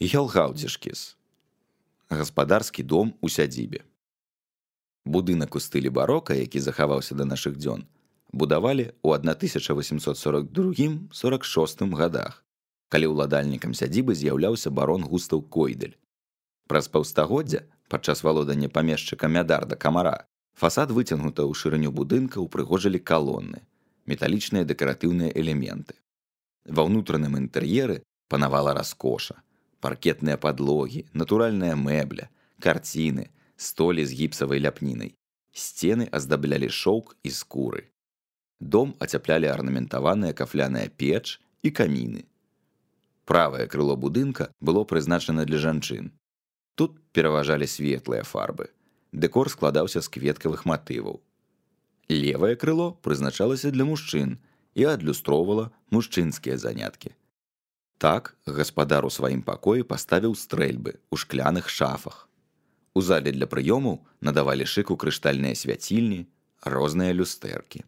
Гелгаўцішкіс. Гаспадарскі дом у сядзібе. Будынак у стылі барока, які захаваўся да нашых дзён, будавалі ў 1842-46 гадах, калі ўладальнікам сядзібы з'яўляўся барон Густаў Койдэль. Праз паўстагоддзя, падчас валодання памешчыка Мядарда Камара, фасад выцягнута ў шырыню будынка ўпрыгожылі калоны, металічныя дэкаратыўныя элементы. Ва ўнутраным інтэр'еры панавала раскоша, паркетныя падлогі, натуральная мэбля, карціны, столі з гіпсавай ляпнінай. Сцены аздаблялі шоўк і скуры. Дом ацяплялі арнаментаваная кафляная печ і каміны. Правае крыло будынка было прызначана для жанчын. Тут пераважалі светлыя фарбы. Дэкор складаўся з кветкавых матываў. Левае крыло прызначалася для мужчын і адлюстроўвала мужчынскія заняткі. Так гаспадар у сваім пакоі паставіў стрэльбы ў шкляных шафах. У зале для прыёмаў надавалі шыку крыштальныя свяцільні, розныя люстэркі.